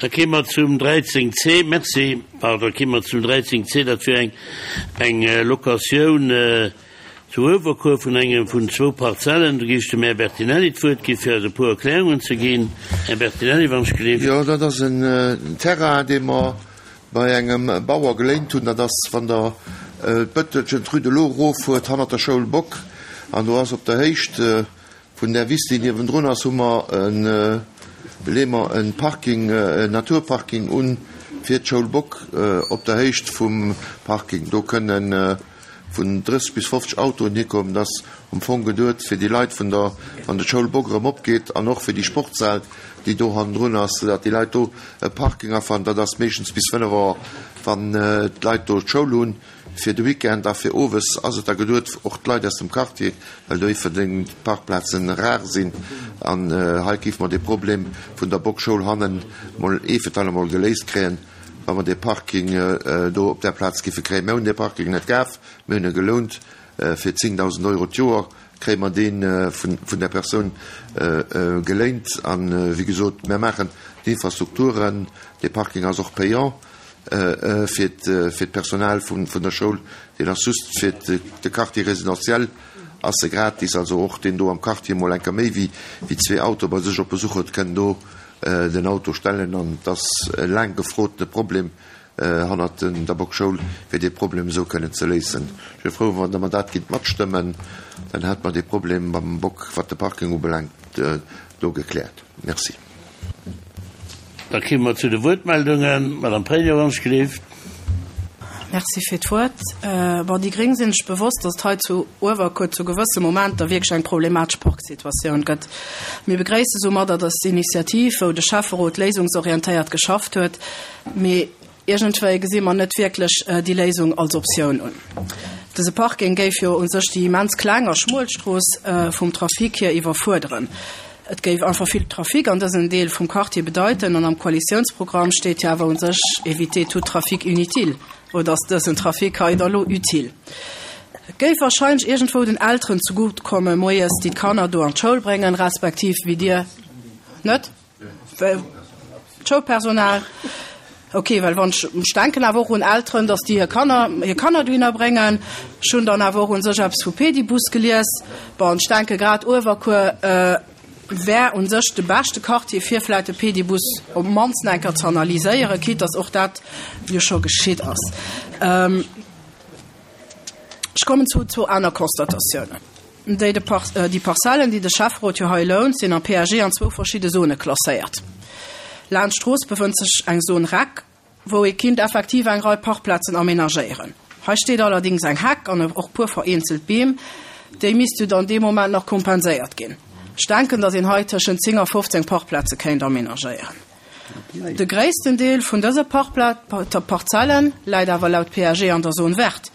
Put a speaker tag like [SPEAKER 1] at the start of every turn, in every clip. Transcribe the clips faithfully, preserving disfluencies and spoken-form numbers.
[SPEAKER 1] Da kéime mer zum dräizéng C. Merci. Pardon, da kéime mer zum dräizéng C. Dat wier eng, eng Locatioun zu Uewerkuer vun engem vun zwou Parzellen. Do géif ech dem Här Bertinelli d'Wuert gi fir eis e puer Erklärungen ze ginn. Här Bertinelli, wann ech gelift.
[SPEAKER 2] Jo, dat ass en Terrain, dee mer bei engem Bauer geléint hunn. Dat ass, wann Der d'Bëttelchen, d'Rue de l'Eau eroffuert, hannert der Schoul Bock. An do ass op der Héicht vun där Wiss, déi niewendrun ass, hu mer en, leeë mer e Parking, en Naturparking un fir d'Schoul Bock op der Héicht vum Parking. Do kënne vun drësseg bis fofzeg Autoen hikommen. Dat ass am Fong geduet fir déi Leit vun der, wann d'Schoul Bock erëm opgeet, an och fir déi Sportshal, déi do hannendrun ass, soudatt déi Leit do e Parking afannen. Dat ass meeschtens bis fënnef Auer, wann d'Leit do d'Schoul hunn. Fir de Weekend a fir owes ass et da geduet, och d'Leit aus dem Quartier, well do iwwerdeng d'Parkplazen rar sinn. An hei géife mer dee Problem vun der Bock-Schoul hannen mol ee fir d'allemol mol geléist kréien, wa mer dee Parking do op där Plaz géife kréien. Mir hunn dee Parking net kaf, mir hunn e gelount. Fir zéngdausend Euro d'Joer kréie mer dee vun där Persoun geléint. A wéi gesot, mir maachen d'Infrastrukturen. Dee Parking ass och payant. Fir d'Personal vun der Schoul, deen ass just fir de Quartier résidentiel ass e gratis, also och deen do am Quartier mol enker méi wéi zwee Autoe bei sech op Besuch huet, kënn do den Auto stellen. An et ass e laang gefrotene Problem hannert der Bock-Schoul, fir dee Problem esou kënnen ze léisen. Ech wier frou, wann Der mer dat géint matstëmmen, dann hätt mer dee Problem beim Bock, wat de Parking ubelaangt, do gekläert. Merci.
[SPEAKER 1] Da kéime mer zu de Wuertmeldungen. Madame Pregno, wann ech gelift.
[SPEAKER 3] Merci fir d'Wuert. Bon, déi Gréng sinn sech bewosst, datt et hei zu Uewerkuer zu gewësse Momenter wierklech eng problematesch Parksituatioun gëtt. Mir begréisse soumadder dës Initiativ, wou de Schäfferot léisungsorientéiert geschafft huet. Mee iergendwéi gesi mer net wierklech déi Léisung als Optioun un. Dëse Parking géif jo u sech déi immens kleng a schmuel Strooss vum Trafic hier iwwerfuerderen. Et géif einfach vill Trafic an dësem Deel vum Quartier bedeiten an am Koalitiounsprogramm steet jo awer u sech éviter tout trafic inutile. Oder ass dësen Trafic hei da lo utile? Et géif wahrscheinlech iergendwou den Elteren zegutt kommen moies, déi d'Kanner do an d'Schoul bréngen, respektiv wéi Dir net? D'Schoulpersonal. Ok, well wann ech, ech denken awer och un Elteren, datt déi hir Kanner, hir Kanner dohinner bréngen. Ech hunn dann awer och un sech eppes vu Pedibus gelies. Bon, ech denke grad Uewerkuer wär un sech de beschte Quartier fir vläicht de Pedibus op d'mannst eng Kéier ze analyséieren, quitte datt och dat jo scho geschitt ass. Ech kommen zu zwou aner Constatatiounen. Déi de Par, déi Parzellen, déi de Schäfferot jo hei lount, sinn am P A G an zwou verschidde Zone klasséiert. Laanscht d'Strooss befënnt sech eng Zone Rec, wou ee kinnt effektiv eng Rei Parkplazen aménagéieren. Hei steet allerdings eng Heck an och puer vereenzelt Beem, déi misste dann dee Moment nach kompenséiert ginn. Ech denken, datt een hei tëschent zéng a fofzéng Parkplaze kéint aménagéieren. De gréissten Deel vun dëse Parzelle läit awer laut P A G an der Zone verte.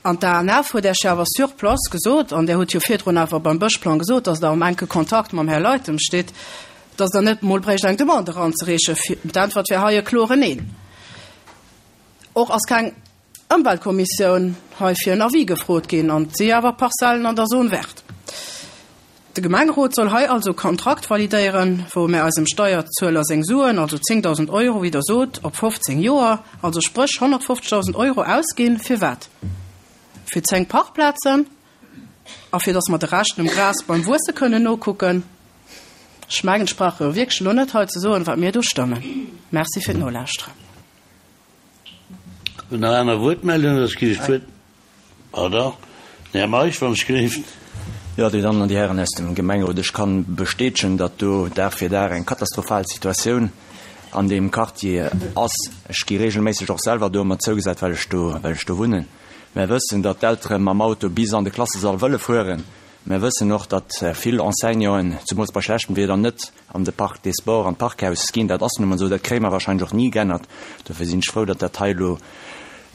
[SPEAKER 3] An d'A N F huet Iech jo awer sur place gesot, an Där hutt jo virdrun awer beim Bëschplang gesot, datt Der am enke Kontakt mam Här Leytem stitt, datt Der net emol bréicht eng Demande eranzereechen. D'Äntwert wär hei e kloren Neen. Och ass keng Ëmweltkommissioun hei fir en Avis gefrot ginn, an et si awer Parzellen an der Zone verte. De Gemengerot soll hei also e Kontrakt validéieren, wou mär eisem Steierzueler seng Suen, also zéngdausend Euro, wéi Der sot, op fofzéng Joer, also spréch honnertfofzegdausend Euro ausginn. Fir wat? Fir zéng Parkplazen a fir datt mer de Rescht dem Gras beim Wuesse kënnen nokucken? Ech mengen, ech brauch jo wierklech elo net hei ze soen, wat mir do stëmmen. Merci fir d'Nolauschteren.
[SPEAKER 1] Hunn nach aner Wuertmeldungen? Soss ginn ech d'Wuert. Pardon, den Här Meisch, wann ech gelift.
[SPEAKER 4] Jo, Dir Dammen an Dir Hären aus dem Gemengerot, ech kann bestätegen, datt do Dag fir Dag eng katastrophal Situatioun an deem Quartier ass. Ech gi regelméisseg och selwer do ëmmer zougesat, well ech do, well ech do wunnen. Mär wëssen, datt d'Eltere mam Auto bis an de Klassesall wëlle fueren. Mär wëssen och, datt vill Enseignanten, zumools bei schlechtem Wieder, net an de Parc des Sports, an d'Parkhaus ginn. Dat ass nun emol esou, dat kréie mer wahrscheinlech och ni geännert. Dofir sinn ech frou, datt dat hei elo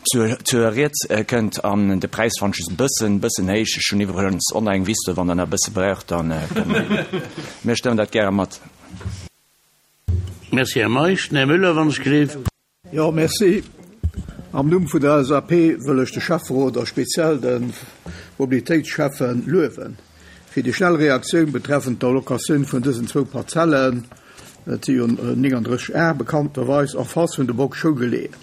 [SPEAKER 4] zur, zur Rieds kënnt. An de Präis fannen ech just e bëssen, bëssen héich. Ech hunn iwwregens och nach eng Wiss do, wann Der nach e bësse braucht, dann kënne mer, mir stëmmen dat gäre mat.
[SPEAKER 1] Merci, Här Meisch. Den Här Müller, wann ech gelift.
[SPEAKER 5] Jo, merci. Am Numm vun der L S A P wëll ech de Schäfferot a speziell de Mobilitéitsschäffe luewen fir déi schnell Reaktioun betreffend der Locatioun vun dësen zwou Parzellen. Dat si jo nénganddrësseg Ar bekannterweis, en face vun der Bock Schoul geleeën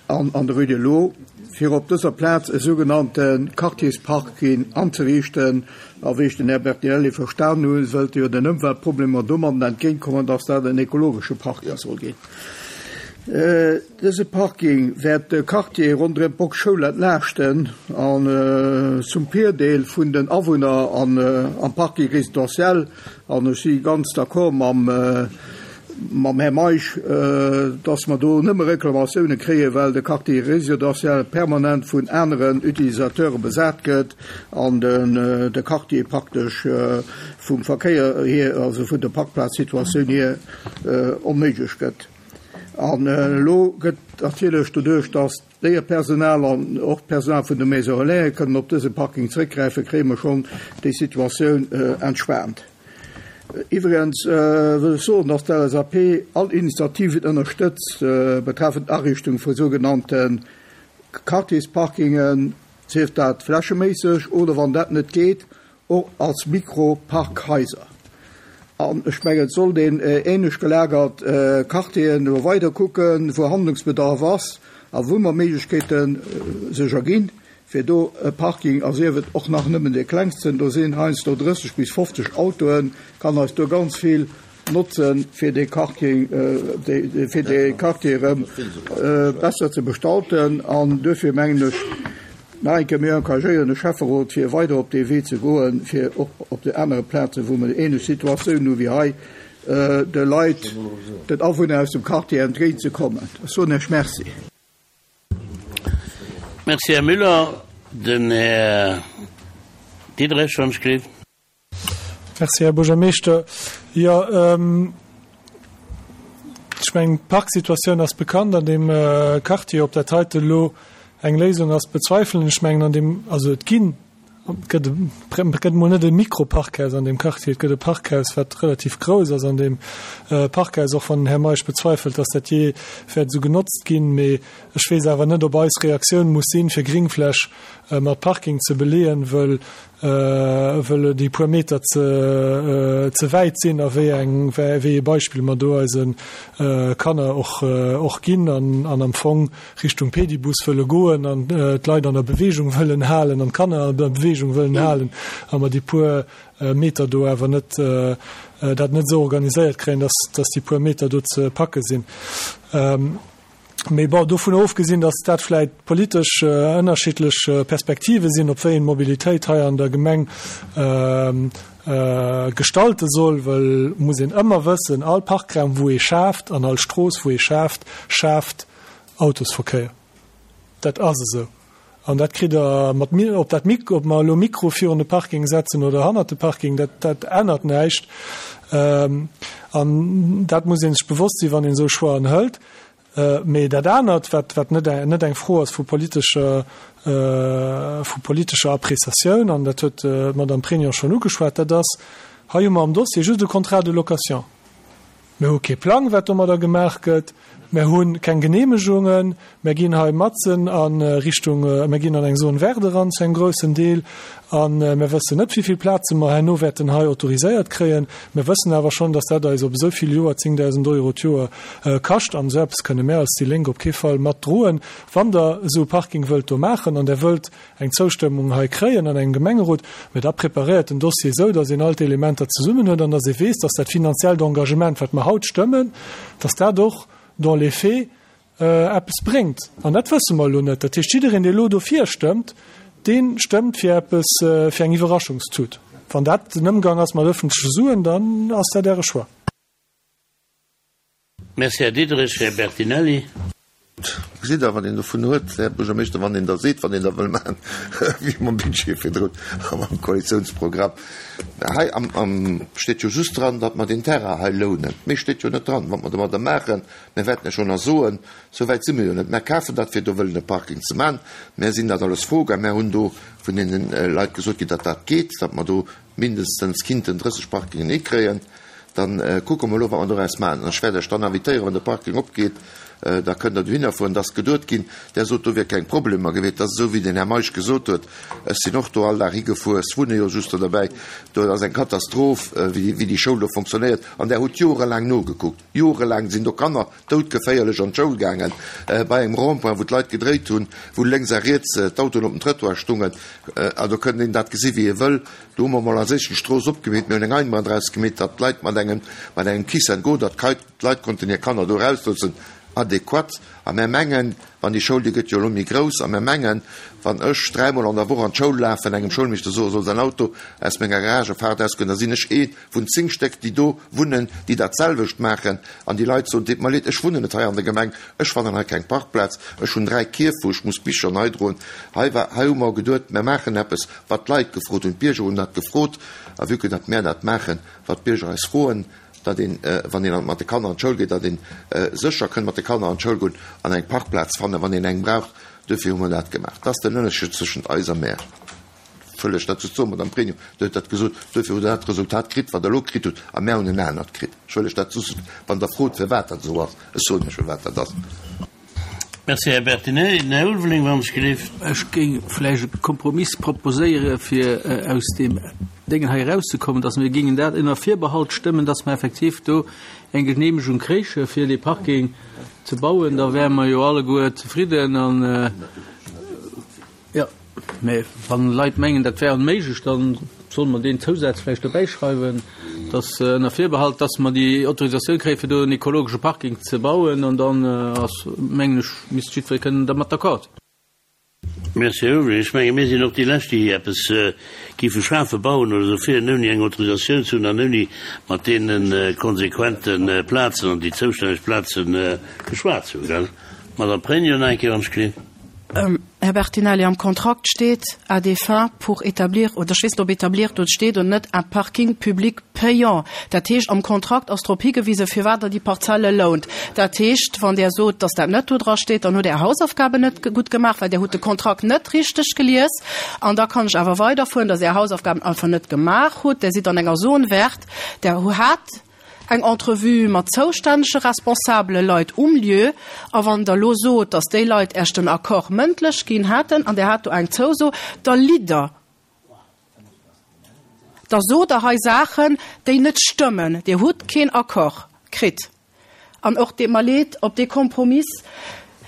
[SPEAKER 5] an an der Rue de l'Eau, fir op dëser Plaz e sougenannte Quartiersparking anzeriichten. A wéi ech den Här Bertinelli verstan hunn, wëllt e jo den Ëmweltproblemer domadden entgéintkommen, dass dat en ekologesche Parking soll ginn. Dëse Parking wäert de Quartier ronderëm d'Bock Schoul entlaaschten an zum Virdeel vun den Awunner am Parking résidentiel. An ech si ganz d'accord mam mam Här Meisch, dass mer do nëmme Reklamatioune kréien, well de Quartier résidentiel permanent vun aneren Utilisateure besat gëtt an de Quartier praktesch vum Verkéier hier, also vun der Parkplazsituatioun hier, onméiglech gëtt. An elo gëtt natierlech doduerch, dass d'Léierpersonal an och d'Personal vun de Maisons Relais kënnen op dëse Parking zréckgräifen, kréie mer schonn déi Situatioun entspaant. Iwwregens wëll ech soen, dass d'LSAP all Initiativen ënnerstëtzt betreffend d'Ariichtung vu sougenannte Quartiersparkingen, sief dat flächeméisseg oder, wann dat net geet, och als Mikro-Parkhaiser. An ech mengen, et sollt een ähnlech gelagert Quartieren elo weider kucken, wou Handlungsbedarf ass a wou mer Méiglechkeete sech erginn, fir do e Parking, a sief et och nach nëmmen dee klengsten, do sinn heiansdo drësseg bis fofzeg Autoen, kann eis do ganz vill notzen, fir dee Quartier, fir dee Quartier erëm besser ze bestalten. An duerfir mengen ech, Nach eng Kéier, mir encouragéieren de Schäfferot, fir weider op dee Wee ze goen, fir och op de anere Plazen, wou mer ähnlech Situatiounen hu wéi hei, de Leit, den Awunner aus dem Quartier entgéintzekommen. Ech soen Iech Merci.
[SPEAKER 1] Merci, Här Müller. Den Här Diderich, wann ech gleef.
[SPEAKER 6] Merci, Här Buergermeeschter. Jo, ech mengen, d'Parksituatioun ass bekannt an deem Quartier. Ob dat heite elo eng Léisung ass, bezweifelen ech. Mengen, an deem, also et ginn, et gëtt, et gëtt emol net e Mikroparkhaus an deem Quartier, et gëtt e Parkhaus, wat relativ grouss ass an deem Parkhaus, och wann den Här Meisch bezweifelt, dass dat jee wäert esou genotzt ginn. Mee ech weess awer net, ob eis Reaktioun muss sinn, fir Gringfläch mat Parking ze beleeën, wëll wëll déi puer Meter ze ze wäit sinn a wéi eng wéi ee Beispill mer do eise Kanner och och ginn an an am Fong Richtung Pedibus wëlle goen an d'Leit an der Beweegung wëllen halen an d'Kanner an der Beweegung wëllen halen a mer déi puer Meter do awer net dat net esou organiséiert kréien, dass dass déi puer Meter do ze packe sinn. Mee bon, dovun ofgesinn, datt dat vläit politesch ënnerschiddlech Perspektive sinn, op wéi een d'Mobilitéit hei an der Gemeng gestalte soll, wëll muss een ëmmer wëssen, all Parkraum wou ee schaaft an all Strooss wou ee schaaft, schaaft Autosverkéier. Dat ass esou. An dat kritt Der mat, ob dat Mik-, ob mer elo Mikro virun de Parking setzen oder hannert de Parking, dat, dat ännert näischt. An dat muss ee sech bewosst sinn, wann een esou Choixen hëlt. Mee dat anert, wat, wat net, net eng Fro ass vu politescher, vu politescher Appréciatioun, an dat huet d'Madame Pregno schonn ugeschwat, dat ass, hei hu mer am Dossier just e Contrat de location. Mir hu kee Plang, wat domadder gemaach gëtt. Mir hu keng Genehmegungen. Mir ginn hei matzen a Richtung, mir ginn an eng Zone verte eran zu engem groussen Deel. A mir wëssen net, wéi vill Plaze mer herno wäerten hei autoriséiert kréien. Mir wëssen awer schonn, dass dat eis op esou vill Joer zéngdausend Euro d'Joer kascht. An esou eppes kënne mär als déi Lénk op kee Fall matdroen. Wann Der esou e Parking wëllt do maachen an Der wëllt eng Zoustëmmung hei kréien an engem Gemengerot, mä da preparéiert den Dossier esou, dass een all d'Elementer zesummen huet an dass ee weess, dass dat finanziellt Engagement, wat mer haut stëmmen, dass dat och dans les faits eppes bréngt. An dat wësse mer elo net. Dat heescht, jiddereen, dee elo dofir stëmmt, dee stëmmt fir eppes, fir eng Iwwerraschungstut. Wann dat den Ëmgang ass mat öffentleche Suen, dann ass dat Äre Choix.
[SPEAKER 1] Merci, Här Diderich. Här Bertinelli.
[SPEAKER 2] Gesitt Der, wat een dovun huet, Här Buergermeeschter, wann een da seet, wat een da wëll maachen, wéi mam Budget virdrun a mam Koalitiounsprogramm. Hei am, am steet jo just dran, datt mer deen Terrain hei lounen. Méi steet jo net dran. Wat mer domadder maachen, mir wäerten lech jo nach soen, sou wäit si mir jo net. Mer kafen dat, fir do wëllen e Parking ze maachen. Mer sinn dat alles froe gaang. Mer hunn do vun deene Leit gesot ginn, datt dat geet, datt mer do mindestens kinnten drësseg Parkingen hikréien. Dann kucke mer elo, wat mer doraus maachen. An ech wäert Iech dann invitéieren, wann de Parking opgeet, da kënnt Der dohinner fueren. Et ass geduet ginn, Der sot, do wier keng Problemer gewiescht. Dat ass esou, wéi den Här Meisch gesot huet. Ech sinn och do all Dag higefuer. Ech wunne jo just do derbäi. Do ass eng Katastroph, wéi déi Schoul do fonctionnéiert. An Der hutt jorelaang nogekuckt. Jorelaang sinn do Kanner doudgeféierlech an d'Schoul gaangen, bei engem Rond-point, wou d'Leit gedréit hunn, wou lénks a riets d'Autoen op dem Trëttoir stungen. A do kënnt een dat gesi wéi ee wëll. Do hu mer mol als éischt d'Strooss opgemeet, mir hunn eng Einbahn draus gemeet, datt d'Leit mat engem, mat engem Kiss and go, datt d'Leit konnten hir Kanner do erausloossen, adequat. A mär mengen, wann déi Schoul, déi gëtt jo elo méi grouss, a mär mengen, wann ech dräimol an der Woch an d'Schoul lafen, engem Schoulmeeschter soe soll säin Auto aus menger Garagefaart ausgoen, da sinn ech ee vun zéng Stéck, déi do wunnen, déi dat selwecht maachen. An déi Leit soen, Deet mer leed, ech wunnen net hei an der Gemeng, ech fannen hei keng Parkplaz, ech hunn dräi Kierf, wou ech muss Bicher nei droen. Hei war, hei hu mer geduet, mär maachen eppes, wat d'Leit gefrot hunn. D'Bierger hunn dat gefrot. A vue que datt mär dat maachen, wat d'Bierger eis froen, datt een, wann een mat de Kanner an d'Schoul geet, datt een sécher kënnt mat de Kanner an d'Schoul goen an eng Parkplaz fannen, wann een eng braucht. Duerfir hu mer dat gemaach. Dat ass den Ënnerscheed zwëschent eis a mär. Wëll ech dat just soen, Madame Pregno, Dir hutt dat gesot, duerfir hutt Der dat Resultat kritt, wat Der elo kritt hutt, a mär hunn en anert kritt. Ech wëll lech dat just, wann Der frot, firwat dat esou ass, ech soen Iech, firwat dat ass.
[SPEAKER 1] Merci, Här Bertinelli. Den Här Ulveling, wann ech gelift.
[SPEAKER 7] Ech géing vläicht e Kompromiss proposéiere fir aus deem Déngen hei erauszekommen, dass mir géingen dat ënner Virbehalt stëmmen, dass mer effektiv do eng Genehmegung kréiche fir dee Parking ze bauen. Da wäre mer jo alleguer zefridden an, jo, mä wann Leit mengen, dat wär onméiglech, da solle mer deen Zousaz vläicht dobäischreiwen, dass ënner Virbehalt, dass mer déi Autorisatioun kréien, fir do en ekologesche Parking ze bauen, an dann ass, mengen ech, misst jiddweree kënnen dermat d'accord sinn.
[SPEAKER 1] Merci, Här Ulveling. Ech menge mir sinn och déi Lescht, déi eppes géife schafe, bauen oder esou virun, ouni eng Autorisatioun ze hunn an ouni mat deene konsequente Plazen an déi zoustänneg Plaze geschwat ze hunn, gell? Madame Pregno, nach eng Kéier, wann ech gelift.
[SPEAKER 3] Här Bertinelli, am Kontrakt steet à des fins pour établir, oder ech weess net, ob établir do steet oder net, un parking public payant. Dat heescht, am Kontrakt ass drop higewisen, firwat Der déi Parzelle lount. Dat heescht, wann Der sot, dass dat net do dra steet, dann hutt Der Är Hausaufgaben net gutt gemaach, well Der hutt de Kontrakt net richteg gelies. An da kann ech awer weiderfueren, dass Är Hausaufgaben einfach net gemaach hutt. Der sidd an enger Zone verte, Der hat eng Entrevue mat zoustännege responsabele Leit um Lieu. A wann Der elo sot, dass déi Leit Iech den Accord mëndlech ginn hätten an Der hat do eng Zouso, da litt Der. Da sot Der hei Saachen, déi net stëmmen. Dir hutt keen Accord kritt. An och, deet mer leed, op dee Kompromiss,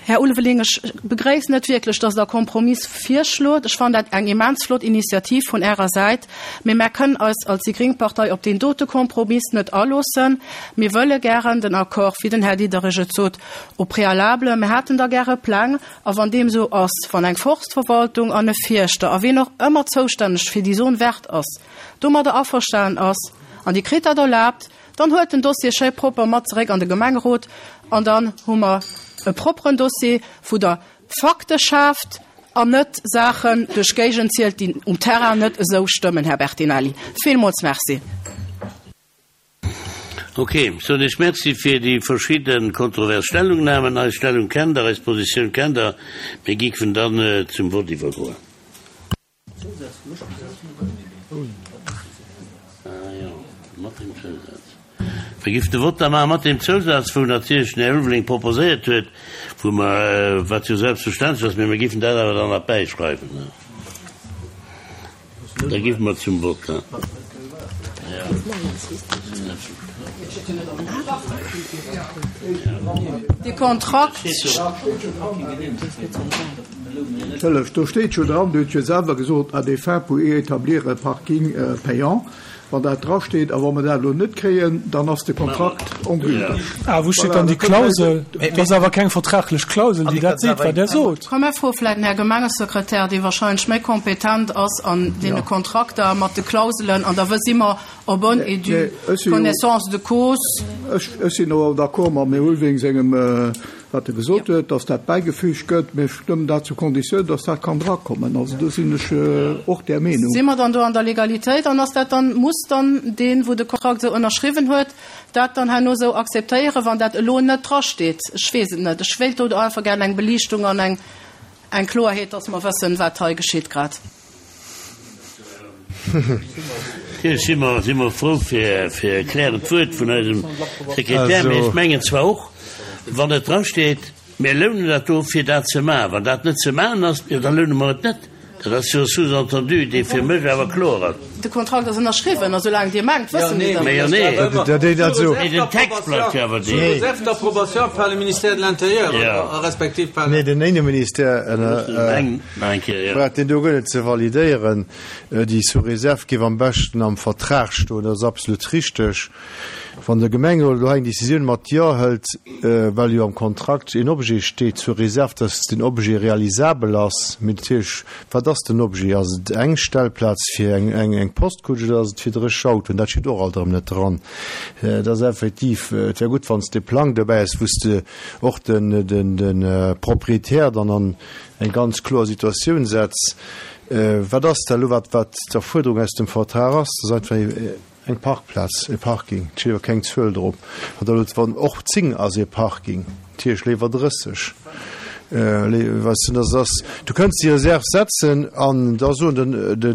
[SPEAKER 3] Här Ulveling, ech begréissen et wierklech, dass Der Kompromiss virschlot. Ech fannen dat eng immens flott Initiativ vun Ärer Säit. Mee mär kënnen eis als déi gréng Partei op deen dote Kompromiss net aloossen. Mir wëlle gären den Accord, wéi den Här Diderich et sot, au préalable. Mir hätten da gäre Pläng. A wann deem esou ass, wann eng Forstverwaltung an e Fierschter a wien och ëmmer zoustänneg fir déi Zone verte ass, domadder averstanen ass an Dir kritt dat erlaabt, dann huelt den Dossier schéi propper mat zeréck an de Gemengerot an dann hu mer e propperen Dossier, wou Der Fakte schaaft an net Saachen duerch d'Géigend zielt, déi um Terrain net esou stëmmen, Här Bertinelli. Villmools Merci.
[SPEAKER 1] Ok, soen Iech Merci fir déi verschidde kontrovers Stellungnahmen. Eis Stellung kennt Der, eis Positioun kennt Der. Mir géifen dann zum Vott iwwergoen. Mir géifen de Vott da maache mat deem Zousaz, wou natierlech den Här Ulveling proposéiert huet, wou mer, wat jo selbstverständlech ass, mee mir géifen dat awer dann nach bäischreiwen. Da géife mer zum Vott.
[SPEAKER 3] De Kontrakt.
[SPEAKER 5] Hëllef, do steet jo dran, Dir hutt jo selwer gesot, à des fins pour y établir un parking payant. Wann dat drasteet a wa mer dat elo net kréien, dann ass de Kontrakt ongülteg.
[SPEAKER 6] Ah, wou steet dann déi Klausel? Dat ass awer keng vertraglech Klausel, déi dat seet, wat Der sot.
[SPEAKER 3] Komm, mir froe vläicht den Här Gemengesekretär, dee wahrscheinlech méi kompetent ass an deene Kontrakter mat de Klauselen, an da si mer en bonne et due connaissance de cause.
[SPEAKER 5] Ech sinn och d'accord mam Här Ulveling sengem, wat e gesot huet, dass dat bäigefügt gëtt, mä ech stëmmen dat zu Konditioun, dass dat kann drakommen. Also do sinn ech och där Meenung.
[SPEAKER 3] Si mer dann do an der Legalitéit? An ass dat dann, muss dann deen, wou de Kontrakt esou ënnerschriwwen huet, dat dann herno esou akzeptéieren, wann dat elo net drasteet? Ech weess et net. Ech wéilt do einfach gär eng Beliichtung an eng, eng Kloerheet, dass mer wëssen, wat hei geschitt grad.
[SPEAKER 1] Natierlech si mer, si mer frou fir, fir e klärend Wuert vun eisem Sekretär, mee ech mengen zwar och, wann et drasteet, mir lounen dat do, fir dat ze maachen, wann dat net ze maachen ass, jo da loune mer et net. Dat ass jo e Sous-entendu, dee fir mech awer kloer ass.
[SPEAKER 3] De Kontrakt ass ënnerschriwwen, a soulaang Dir mengt, wësse mir dat
[SPEAKER 1] Mee jo,
[SPEAKER 3] net.
[SPEAKER 1] nee.
[SPEAKER 8] Dat also.
[SPEAKER 1] Mee den Text bleift jo awer deen.
[SPEAKER 7] Sous réserve d'approbation par le ministère de l'Intérieur, respektiv par.
[SPEAKER 8] Nee, den Inneministère brauch deen do guer net ze validéieren. Déi sous réserve géif am beschten am Vertrag stoen, dat ass absolut richteg. Wann de Gemengerot elo hei eng Décisioun mat Jo hëlt, well jo am Kontrakt een Objet steet, sous réserve, dass den Objet realisabel ass, mee natierlech, wat ass den Objet? Ass et eng Stellplaz fir eng, eng, eng Postkutsch oder ass et fir dréch Autoen? Dat steet och alt erëm net dran. Et ass effektiv, et wär gutt, wann s de e Plang dobäi häss, wou s de och den, den, de Proprietär dann an eng ganz kloer Situatioun setz. Wat ass da elo, wat, wat d'Erfuerderung aus dem Vertrag ass? Dat ass einfach eng Parkplaz, e Parking, et steet awer keng Zuel drop. Wann da elo, wann och zéng ass e Parking, natierlech léiwer drësseg. Weess de, dat ass, du kënns déi Reserv setzen an da soen den, de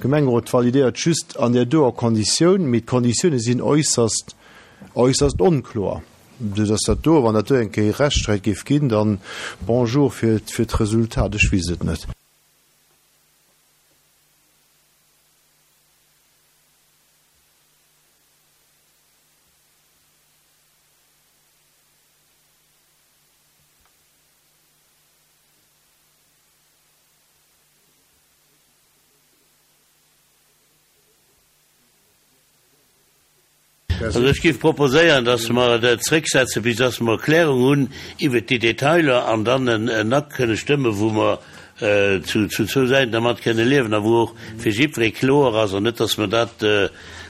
[SPEAKER 8] Gemengerot validéiert just an där doer Konditioun, mee d'Konditioune sinn äusserst, äusserst onkloer. Sou dass dat do, wann dat do eng Kéier Rechtssträit géif ginn, dann bonjour fir, fir d'Resultat. Ech weess et net.
[SPEAKER 1] Also ech géif proposéieren, dass mer et zrécksetzen, bis dass mer Erklärung hunn iwwert déi Detailer an dann en Akt kënne stëmmen, wou mer zu zwou Säiten dermat kënne liewen a wou och fir jiddweree kloer ass an net, dass mer dat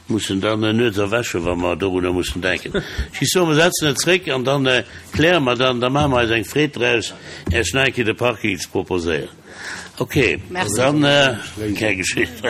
[SPEAKER 1] mussen dann nuets erwächen, wa mer dorunner mussen denken. Ech géif soen, mer setzen et zréck an dann kläre mer dann, da maache mer eis eng Freed draus, Iech nach eng Kéier de Parking ze proposéieren. Okay, dann, keng Geschicht.